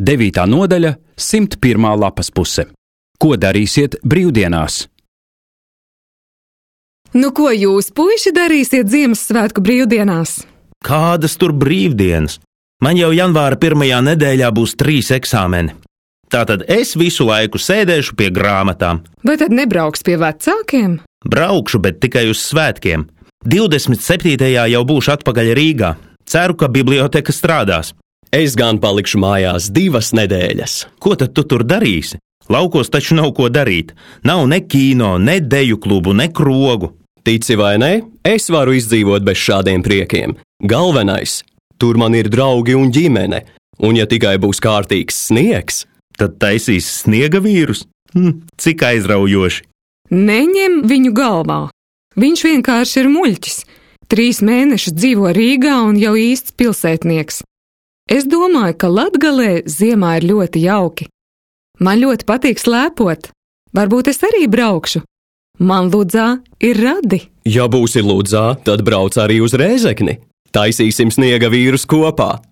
9. nodaļa, 101. lapas puse. Ko darīsiet brīvdienās? Nu, ko jūs, puiši, darīsiet Ziemassvētku brīvdienās? Kādas tur brīvdienas? Man jau janvāra 1. nedēļā būs 3 eksāmeni. Tātad es visu laiku sēdēšu pie grāmatām. Vai tad nebrauks pie vecākiem? Braukšu, bet tikai uz svētkiem. 27. jau būšu atpakaļ Rīgā. Ceru, ka biblioteka strādās. Es gan palikšu mājās 2 nedēļas. Ko tad tu tur darīsi? Laukos taču nav ko darīt. Nav ne kino, ne deju klubu, ne krogu. Tici vai ne, es varu izdzīvot bez šādiem priekiem. Galvenais, tur man ir draugi un ģimene, un ja tikai būs kārtīgs sniegs, tad taisīs sniega vīrus. Cik aizraujoši. Neņem viņu galvā. Viņš vienkārši ir muļķis. 3 mēnešus dzīvo Rīgā un jau īsts pilsētnieks. Es domāju, ka Latgalē ziemā ir ļoti jauki. Man ļoti patīk slēpot. Varbūt es arī braukšu. Man Ludzā ir radi. Ja būsi Ludzā, tad brauc arī uz Rēzekni. Taisīsim sniega vīrus kopā.